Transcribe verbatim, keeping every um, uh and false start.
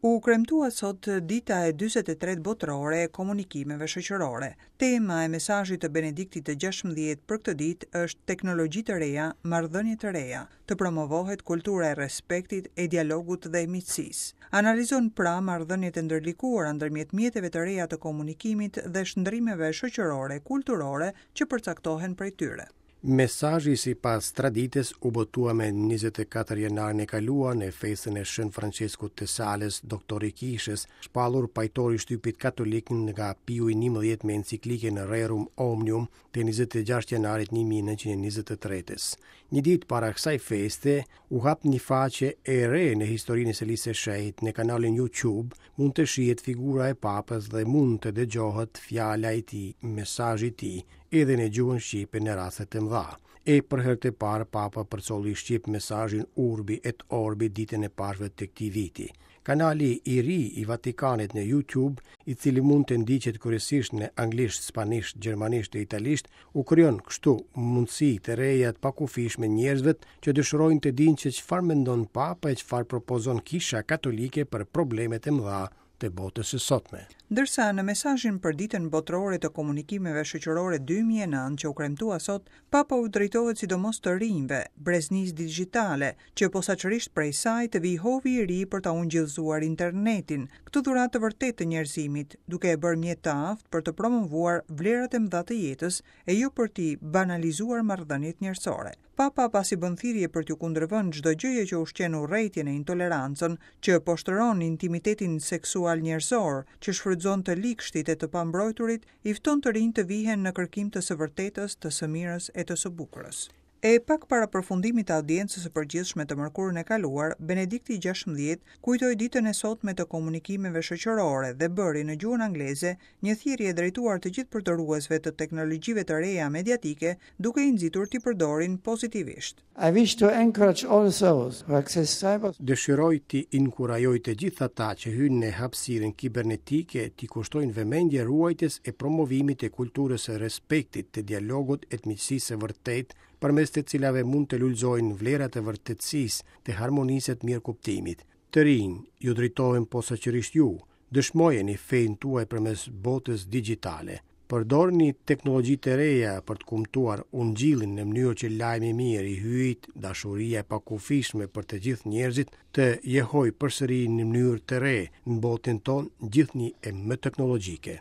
U kremtua sot dita e dyzet e tretë botërore e komunikimeve shoqërore. Tema e mesazhit të Benediktit të gjashtëmbëdhjetë për këtë ditë është teknologji të reja, marrëdhënie të reja, të promovohet kultura e respektit, e dialogut dhe e miqësisë. Analizon pra marrëdhëniet e ndërlikuara ndërmjet mjeteve të reja të komunikimit dhe shndrimeve shoqërore, kulturore që përcaktohen prej tyre. Mesazhi sipas traditës u botua me njëzet e katër janarin e kaluar në festën e Shën Franceskut të Sales, doktori i kishës, shpallur pajtor i shtypit katolik nga Piu i njëmbëdhjetë me enciklikën Rerum Omnium të njëzet e gjashtë janarit një mijë e nëntëqind e njëzet e tretës. Një ditë para kësaj feste u hap një faqe e re në historinë e Selisë së Shenjtë në kanalin YouTube, mund të shihet figura e papës dhe mund të dëgjohet fjala e tij, mesazhi i tij, edhe në gjuhën shqipe në raste të mëdha. E për herë të parë Papa përcolli shqip mesazhin Urbi et Orbi ditën e Pashkëve të këtij viti. Kanali i ri i Vatikanit në YouTube, i cili mund të ndiqet kryesisht në anglisht, spanjisht, gjermanisht e italisht, u krijon kështu mundësi të reja të pakufishme njerëzve që dëshirojnë të dinë se çfarë mendon Papa e çfarë propozon Kisha Katolike për problemet e mëdha të botës së sotme. Ndërsa në mesazhin për ditën botërore të komunikimeve shoqërore dy mijë e nëntë që u kremtua sot, Papa u drejtohet sidomos të rinjve, breznisë digjitale, që posaçërisht prej saj të vijë hovi i ri për ta ungjillëzuar internetin, këtë dhuratë të vërtetë të njerëzimit, duke e bërë mjet të aftë për të promovuar vlerat e mëdha të jetës e jo për t'i banalizuar marrëdhëniet njerëzore. Papa pasi bën thirrje për t'ju kundërvënë çdo gjëje që ushqen urrejtjen e intolerancën, që poshtëron intimitetin seksual njerëzor, që shfrytëzon të ligshtit e të pambrojturit, i fton të rinj të vihen në kërkim të së vërtetës, të së mirës e të së bukurës. E pak para përfundimit të audiencës së përgjithshme të mërkurën e kaluar, Benedikti i gjashtëmbëdhjetë kujtoi ditën e sotme të komunikimeve shoqërore dhe bëri në gjuhën angleze një thirrje drejtuar të gjithë përdoruesve të teknologjive të reja mediatike, duke i nxitur t'i përdorin pozitivisht. I wish to encourage all those who access cyber Dëshiroj t'i inkurajoj të gjithë ata që hyjnë në hapësirën kibernetike t'i kushtojnë vëmendje ruajtjes e promovimit të kulturës së respektit, të dialogut e të miqësisë së vërtetë, përmes të cilave mund të lulëzojnë vlerat e vërtetësisë, të harmonisë e të mirëkuptimit. Të rinj, ju drejtohem posaçërisht ju, dëshmojeni fejën tuaj përmes botës digjitale. Përdorni teknologji të reja për të kumtuar ungjillin në mënyrë që lajmi i mirë i hyjit, dashuria e pakufishme për të gjithë njerëzit, të jehoj përsëri në mënyrë të re në botën tonë gjithnjë e më teknologjike.